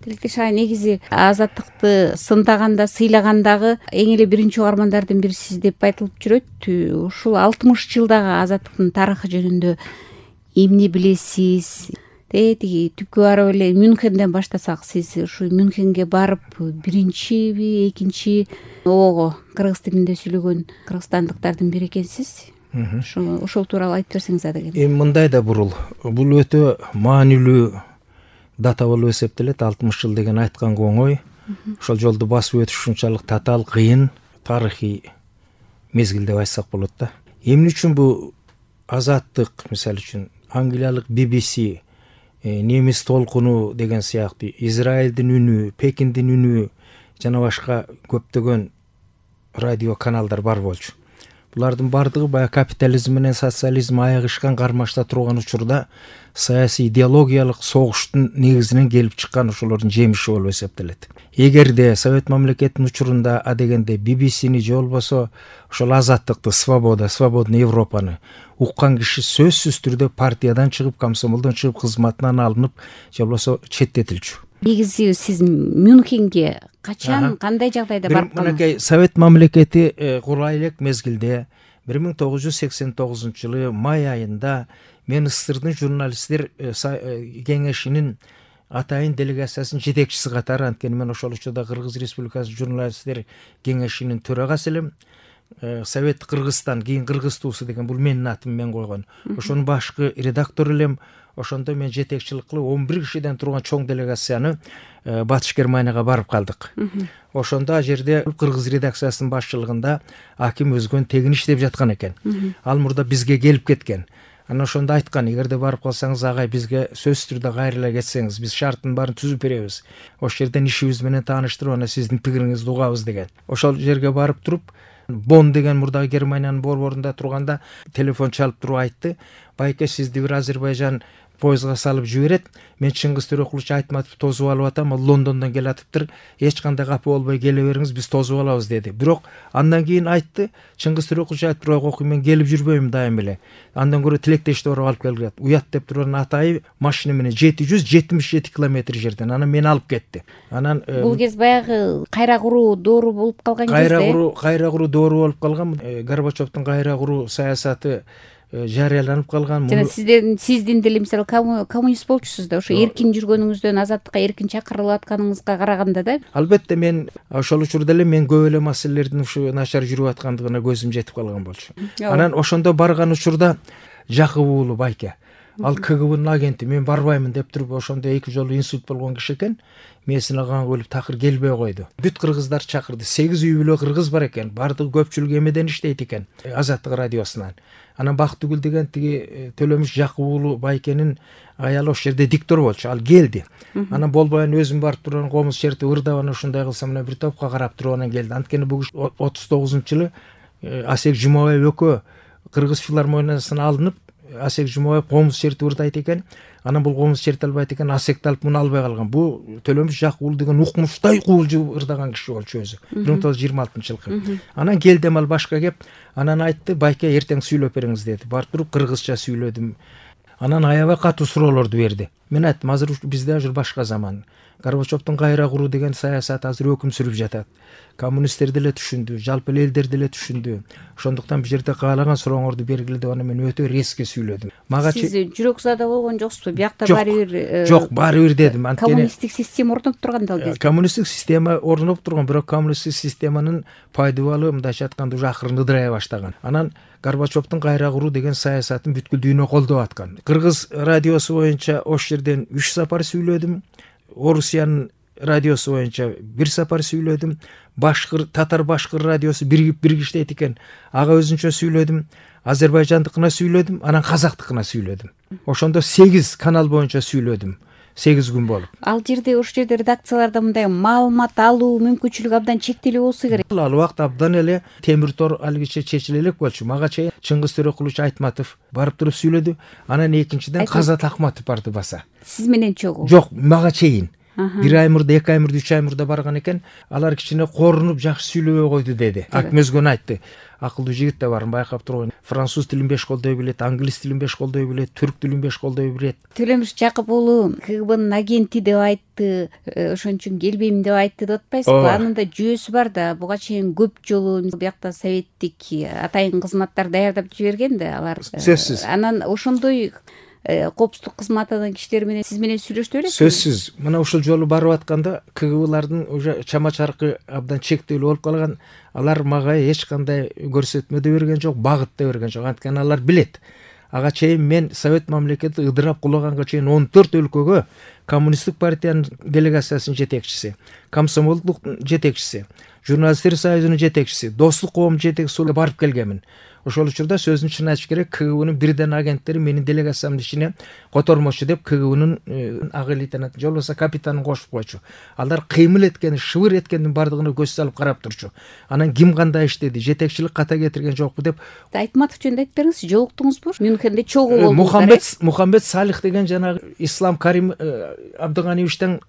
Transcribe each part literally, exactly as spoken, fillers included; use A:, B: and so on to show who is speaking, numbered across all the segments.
A: Тилектеш ага негизи азаттыкты сындаганда, сыйлагандагы эң эле биринчи угармандардын бирисиз деп айтылып жүрөт. Ушул алтымыш жылдагы азаттыктын тарыхы жөнүндө эмне билесиз? Тетиги түпкү барып эле Мюнхенден баштасак, сиз ушу Мюнхенге барып биринчиби, экинчи ого кыргыз тилинде сүйлөгөн кыргызстандыктардын бири экенсиз. Ошо ошол тууралуу айтып берсеңиз адегем.
B: Эми мындай да бурул. Бул өтө маанилүү дата болуп эсептелет. алтымыш жыл деген айтканга оңой. Ошол жолду басып өтүш ушунчалык татаал, кыйын, тарыхый мезгил деп айтсак болот да. Эмне үчүн бу азаттык, мисалы үчүн Англиялык би би си, немис толкуну деген сыяктуу, Израилдин үнү, Пекиндин үнү жана башка көптөгөн радио каналдар бар болчу. Булардын бардыгы баягы капитализм менен социализм аягышкан кармашта турган учурда саясий идеологиялык согуштун негизинен келип чыккан ошолордун жемиши болуп эсептелет. Эгерде Совет мамлекетинин учурунда адегенде би би сини же болбосо ошол азаттыкты, свобода, свободный Европаны уккан киши сөзсүз түрдө партиядан чыгып, комсомолдон чыгып, кызматынан алынып, же болбосо четтетилчү.
A: Негизи сиз Мюнхенге качан, кандай жагдайда барып калдыңыз?
B: Мынакей Совет мамлекети курулай элек мезгилде бир миң тогуз жүз сексен тогузунчу жылы май айында мен СССРдын журналисттер кеңешинин атайын делегациясынын жетекчиси катары, анткени мен ошол учурда Кыргыз Республикасы журналисттер кеңешинин төрагасы элем. Совет Кыргызстан, кийин Кыргыз туусу деген бул менин атым, мен койгон. Ошонун башкы редактор элем. Ошондо мен жетекчилик кылып он бир кишиден турган чоң делегацияны Батыш Германияга барып калдык. Ошондо ал жерде Кыргыз редакциясынын башчылыгында Аким Өзгөн тегин иштеп жаткан экен. Ал мурда бизге келип кеткен. Анан ошондо айткан, эгерде барып калсаңыз агай, бизге сөзсүз түрдө кайрыла кетсеңиз, биз шарттын баарын түзүп беребиз. Ошол жерден ишибиз менен тааныштырып, анан сиздин пикириңизди угабыз деген. Ошол жерге барып туруп, Бон деген мурдагы Германиянын борборунда турганда телефон чалып туруп айтты: "Байке, сизди бир Азербайжан поездга салып жиберет. Мен Чыңгыз Төрөкулович Айтматов тозуп алып атам, ал Лондондон келатыптыр. Эч кандай капа болбой келе бериңиз, биз тозуп алабыз" деди. Бирок андан кийин айтты, Чыңгыз Төрөкулович айтып, "Ой, мен келип жүрбөйм дайым эле. Андан көрө Тилектешти барып алып келгилет." Уят деп турган атайы машина менен жети жүз жетимиш жети километр жерден анан мени алып кетти. Анан
A: бул кез баягы кайра куруу доору болуп калган кезде.
B: Кайра куруу, кайра куруу доору болуп калган. Горбачевдун кайра куруу саясаты жарыяланып калган.
A: Жана сиздердин сиздин деле мисалы коммунист болчусуз да, ошо эркин жүргөнүңүздөн, азаттыкка эркин чакырылып атканыңызга караганда да.
B: Албетте мен ошол учурда эле мен көп эле маселелердин ушу начар жүрүп аткандыгына көзүм жетип калган болчу. Анан ошондо барган учурда Жакып уулу Байке, ал КГБнын агенти, мен барбаймын деп туруп, ошондо эки жолу инсульт болгон киши экен. Месине кан көлүп такыр келбей койду. Бүт кыргыздар чакырды. сегиз үй бүлө кыргыз бар экен. Бардыгы көпчүлүгү эмеден иштейт экен, Азаттык радиосунан. Анан Бактыгүл деген тиги Төлөмүш Жакып уулу Байкенин аялы ошол жерде диктор болчу. Ал келди. Анан болбой өзүм барып турган комуз черти ырдап, анан ушундай кылсам мына бир топко карап туруп анан келди. Анткени бул отуз тогузунчу жылы Асек Жумабаев экөө Кыргыз филармониясына алынып, Асек Жумабаев комуз черти ырдайт экен. Анан бул комуз черти албайт экен, Асекти алып муну албай калган. Бул Төлөмүш Жакып уулу деген укмуштай куулжу ырдаган киши болчу өзү. бир миң тогуз жүз жыйырма алтынчы жылкы. Анан келдим ал башка кеп, анан айтты: "Байке, эртең сүйлөп бериңиз" деди. Барып туруп кыргызча сүйлөдүм. Анан аябай катуу суроолорду берди. Мен айттым, азыр бизде азыр башка заман. Горбачевдун кайра куруу деген саясаты азыр өкүм сүрүп жатат. Коммунисттер деле түшүндү, жалпы элдер деле түшүндү. Ошондуктан бул жерде каалаган сурооңорду бергиле деп, аны мен өтө резко сүйлөдүм.
A: Мага сиз жүрөк зада болгон жоксузбу? Биякта баары бир
B: Жок, баары бир дедим.
A: Анткени коммунисттик система орнотуп турган да ал кезде.
B: Коммунисттик система орнотуп турган, бирок коммунисттик системанын пайдабалы мындайча айтканда уже акырын ыдырая баштаган. Анан Горбачевдун кайра куруу деген саясатын бүткүл дүйнө колдоп аткан. Кыргыз радиосу боюнча ошол жерден үч сапар сүйлөдүм. Орусиянын радиосу боюнча бир сапар сүйлөдүм. Башкыр, татар башкыр радиосу биригип бирге иштейт экен. Ага өзүнчө сүйлөдүм. Азербайжандыкына сүйлөдүм, анан казактыкына сүйлөдүм. Ошондо сегиз канал боюнча сүйлөдүм. сегиз күн болуп.
A: Ал жерде ошол жерде редакцияларда мындай маалымат алуу мүмкүнчүлүгү абдан чектелүү болсо керек.
B: Ал убакта абдан эле темир тор алгиче чечиле элек болчу. Мага чейин Чыңгыз Төрөкулович Айтматов барып туруп сүйлөдү. Анан экинчиден Казат Акматов барды баса.
A: Сиз менен чогуу?
B: Жок, мага чейин. бир ай мурда, эки ай мурда, үч ай мурда барган экен. Алар кичине корунуп жакшы сүйлөбөй койду деди. Аким өзгөнү айтты. Акылдуу жигит да барын байкап турган. Француз тилин беш колдой билет, англис тилин беш колдой билет, түрк тилин беш колдой билет.
A: Төлөмүш Жакып уулу КГБнын агенти деп айтты, ошон үчүн келбейм деп айтты деп атпайсызбы? Анын да жүйөсү бар да. Буга чейин көп жолу биякта советтик атайын кызматтар даярдап жиберген да алар.
B: Сөзсүз.
A: Анан ошондой коопсуздук кызматынын кишилери менен сиз менен сүйлөштү белесизби?
B: Сөзсүз. Мына ушул жолу барып атканда КГБлардын уже чама чаркы абдан чектелүү болуп калган. Алар мага эч кандай көрсөтмө да берген жок, багыт да берген жок. Анткени алар билет. Ага чейин мен Совет мамлекети ыдырап кулаганга чейин он төрт өлкөгө коммунисттик партиянын делегациясынын жетекчиси, комсомолдуктун жетекчиси, журналисттер союзунун жетекчиси, достук коомдун жетекчиси болуп барып келгенмин. Ошол учурда сөзүн чын айтыш керек, КГБнын бирден агенттери менин делегациямдын ичине котормочу деп КГБнын ага лейтенанты, же болбосо капитанын кошуп койчу. Алар кыймыл эткени, шыбыр эткендин бардыгына көз салып карап турчу. Анан ким кандай иштеди, жетекчилик ката кетирген жокпу деп.
A: Айтматов жөнүндө айтып бериңизчи, жолуктуңузбу? Мюнхенде чогуу болдуңуздар.
B: Мухаммед Мухаммед Салих деген жанагы Ислам Карим Абдыганиевичтен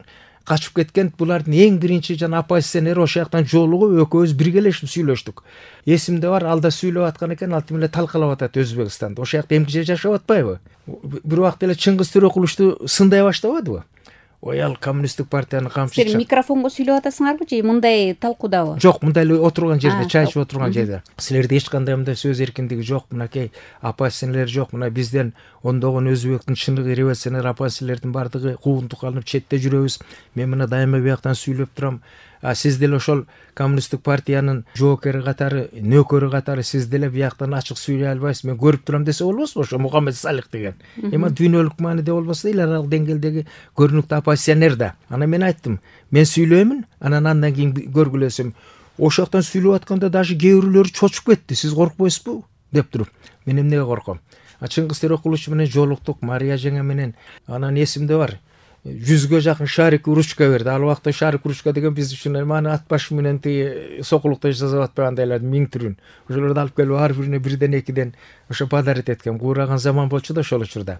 B: качып кеткен, булардын эң биринчи жана оппозиционери ошол жактан жолугуп экөөбүз биргелешип сүйлөштүк. Эсимде бар, алда сүйлөп аткан экен, алтын эле талкалап атат Өзбекстанда. Ошол жакта эмгиче жашап атпайбы? Бир убакта эле Чыңгыз Төрөкулучту сындай баштабадыбы? Ой, ал коммунисттик партиянын камчысы.
A: Сен микрофонго сүйлөп атасыңарбы же мындай талкуудабы?
B: Жок, мындай эле отурган жерде, чай ичип отурган жерде. Силерде эч кандай мындай сөз эркиндиги жок, мынакей оппозиционерлер жок. Мына бизден ондогон өзбектин чыныгы революционер оппозиционерлердин бардыгы куугунтук алынып четте жүрөбүз. Мен мына дайыма бияктан сүйлөп турам. А сиз деле ошол коммунисттик партиянын жоокери катары, нөкөрү катары сиз деле бияктан ачык сүйлөй албайсыз. Мен көрүп турам десе болбосу ошо Мухаммед Салих деген. Эми дүйнөлүк мааниде болбосо эл аралык деңгээлдеги көрүнүктүү оппозиционер да. Анан мен айттым, мен сүйлөймүн, анан андан кийин көргүлөсөм. Ошол жактан сүйлөп атканда даже кээ бирлери чочуп кетти. Сиз коркпойсузбу деп туруп. Мен эмнеге корком? А Чыңгыз Төрөкулуч менен жолуктук, Мария жеңе менен. Анан эсимде бар. жүзгө жакын шарик ручка берди. Ал убакта шарик ручка деген биз үчүн маны ат башы менен тиги сокулукта жасап атпагандайлардын миң түрүн. Ошолорду алып келип ар бирине бирден экиден ошо подарить эткем. Куураган заман болчу да ошол учурда.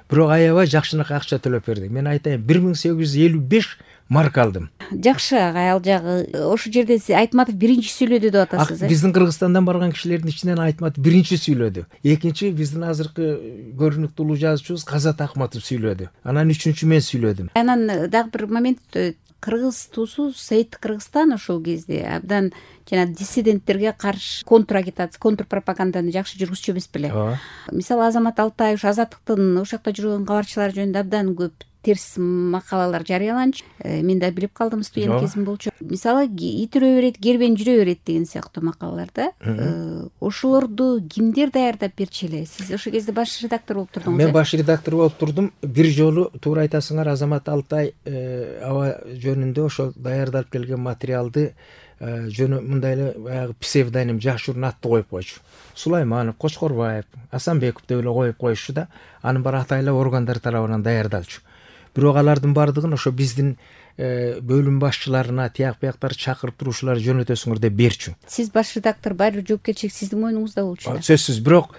B: Бирок аябай жакшынакай акча төлөп берди. Мен айтайын, бир миң сегиз жүз элүү беш марка алдым.
A: Жакшы агай, ал жагы ошол жерде Айтматов биринчи сүйлөдү деп атасыз.
B: Биздин Кыргызстандан барган кишилердин ичинен Айтматов биринчи сүйлөдү. Экинчи биздин азыркы көрүнүктүү улуу жазуучубуз Казат Акматов сүйлөдү. Анан үчүнчү мен сүйлөдүм.
A: Анан дагы бир момент, Кыргыз туусу Советтик Кыргызстан ошол кезде абдан жана диссиденттерге каршы контрагитация, контрпропаганданы жакшы жүргүзчү эмес беле. Мисалы Азамат Алтаев Азаттыктын ошол жакта жүргөн кабарчылар жөнүндө абдан көп терс макалалар жарыяланчу. Мен да билип калдым, студент кезим болчу. Мисалы итирөө берет, кербен жүрө берет деген сыяктуу макалаларда. Ошолорду кимдер даярдап берчү эле? Сиз ошол кезде баш редактор болуп турдуңуз.
B: Мен баш редактор болуп турдум. Бир жолу туура айтасыңар, Азамат Алтай аба жөнүндө ошол даярдалып келген материалды жөнү мындай эле баягы псевдоним, жашыруун атты коюп койчу. Сулайманов, Кочкорбаев, Асанбеков деп эле коюп коюшчу да, анын баары атайлуу органдар тарабынан даярдалчу. Бирок алардын бардыгын ошо биздин бөлүм башчыларына, тияк бияктар чакырып туруушулар жөнөтөсүңөр деп берчү.
A: Сиз баш редактор, баары жоопкерчилик сиздин мойнуңузда болчу.
B: Сөзсүз. Бирок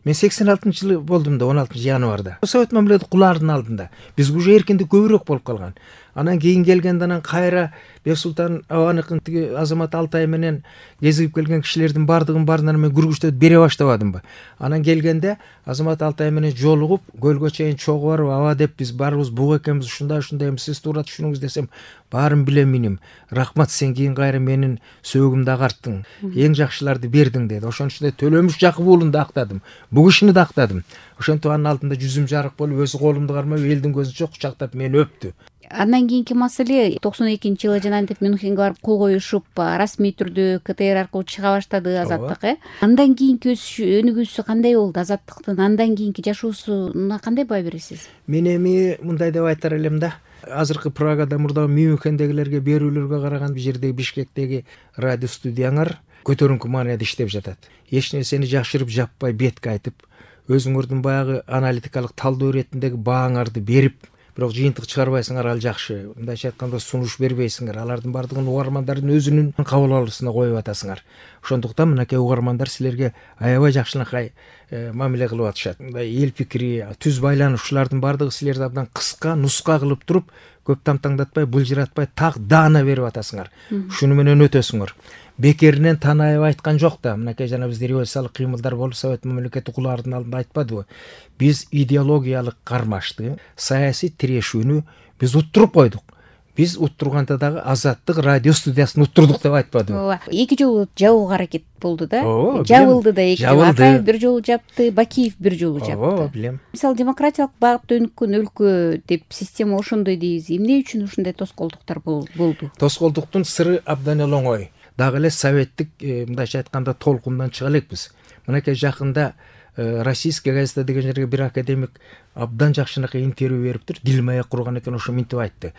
B: мен сексен алтынчы жылы болдум да, он алтынчы январда. Совет мамлекети кулаардын алдында. Бизге уже эркиндик көбүрөөк болуп калган. Анан кийин келгенде анан кайра Бексултан Абаныкын тиги Азамат Алтай менен кезигип келген кишилердин бардыгын баарына мен күргүчтөп бере баштабадымбы? Анан келгенде Азамат Алтай менен жолугуп, көлгө чейин чогуу барып, аба деп биз барыбыз буг экенбиз, ушундай ушундай эми сиз туура түшүнүңүз десем, баарын билем миним. Рахмат, сен кийин кайра менин сөөгүмдү агартты. Эң жакшыларды бердиң деди. Ошон үчүн Төлөмүш Жакып уулун да актадым. Буг ишини да актадым. Ошентип анын алдында жүзүм жарык болуп, өзү колумду кармап, элдин көзүнчө кучактап мени өптү.
A: Андан кийинки маселе токсон экинчи жылы жанагынтип Мюнхенге барып кол коюшуп, расмий түрдө КТР аркылуу чыга баштады Азаттык, э? Андан кийинки өнүгүүсү кандай болду Азаттыктын? Андан кийинки жашоосуна кандай баа бересиз?
B: Мен эми мындай деп айтар элем да. Азыркы Прагада, мурда Мюнхендегилерге берүүлөргө караганда бул жердеги Бишкектеги радио студияңар көтөрүңкү маанайда иштеп жатат. Эч нерсени жашырып жаппай бетке айтып, өзүңөрдүн баягы аналитикалык талдоо иретиндеги бааңарды берип, бирок жыйынтык чыгарбайсыңар, ал жакшы. Мындайча айтканда сунуш бербейсиңер. Алардын бардыгын угармандардын өзүнүн кабыл алуусуна коюп атасыңар. Ошондуктан мынакей угармандар силерге аябай жакшынакай мамиле кылып атышат. Мындай эл пикири, түз байланышуулардын бардыгы силерди абдан кыска, нуска кылып туруп, көп тамтаңдатпай, былжыратпай, так даана берип атасыңар. Шуну менен өтөсүңөр. Бекеринен Танаев айткан жок да. Мынакей жана бизде революциялык кыймылдар болуп, Совет мамлекети кулаардын алдында айтпадыбы? Биз идеологиялык кармашты, саясий тирешүүнү биз уттуруп койдук. Биз уттурганда дагы Азаттык радио студиясын уттурдук деп айтпадыбы?
A: Ооба. Эки жолу жабууга аракет болду да.
B: Ооба.
A: Жабылды да эки жолу.
B: Жабылды.
A: Акаев бир жолу жапты, Бакиев бир жолу жапты.
B: Ооба, билем.
A: Мисалы, демократиялык багытта өнүккөн өлкө деп система ошондой дейбиз. Эмне үчүн ушундай тоскоолдуктар болду?
B: Тоскоолдуктун сыры абдан эле оңой. Дагы эле советтик, мындайча айтканда, толкундан чыга элекпиз. Мынакей жакында Российская газета деген жерге бир академик абдан жакшынакай интервью бериптир. Дилмаек курган экен, ошо минтип айтты.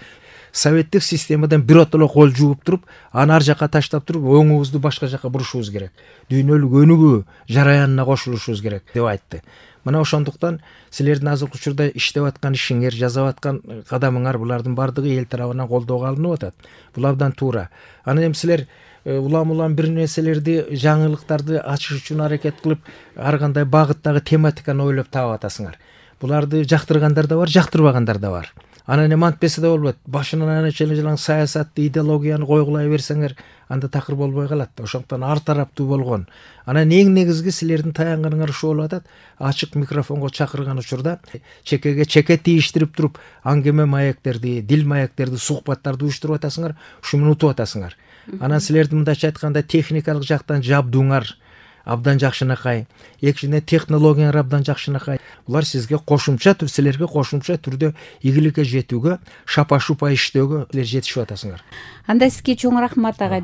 B: Советтик системадан биротоло кол жууп туруп, аны ар жака таштап туруп, оңубузду башка жака бурушубуз керек. Дүйнөлүк өнүгүү жараянына кошулушубуз керек деп айтты. Мына ошондуктан силердин азыркы учурда иштеп аткан ишиңер, жасап аткан кадамыңар, булардын бардыгы эл тарабынан колдоого алынып атат. Бул абдан туура. Анан эми силер улам-улам бир нерселерди, жаңылыктарды ачыш үчүн аракет кылып, ар кандай багыттагы тематиканы ойлоп таап атасыңар. Буларды жактыргандар да бар, жактырбагандар да бар. Анан эми антпесе да болбойт. Башынан ана чележалаң саясатты, идеологияны койгулай берсеңер, анда такыр болбой калат. Ошондуктан ар тараптуу болгон. Анан эң негизги силердин таянганыңар ушу болуп атат. Ачык микрофонго чакырган учурда чекеге чеке тийиштирип туруп, аңгеме маектерди, дил маектерди, сухбаттарды уюштуруп атасыңар, ушу менен утуп атасыңар. Анан силердин мындайча айтканда техникалык жактан жабдууңар абдан жакшынакай, экинчиден технологияңар абдан жакшынакай. Булар сизге кошумча түр, силерге кошумча түрдө ийгиликке жетүүгө, шапа-шупа иштөөгө силер жетишип атасыңар.
A: Анда сизге чоң рахмат, ага.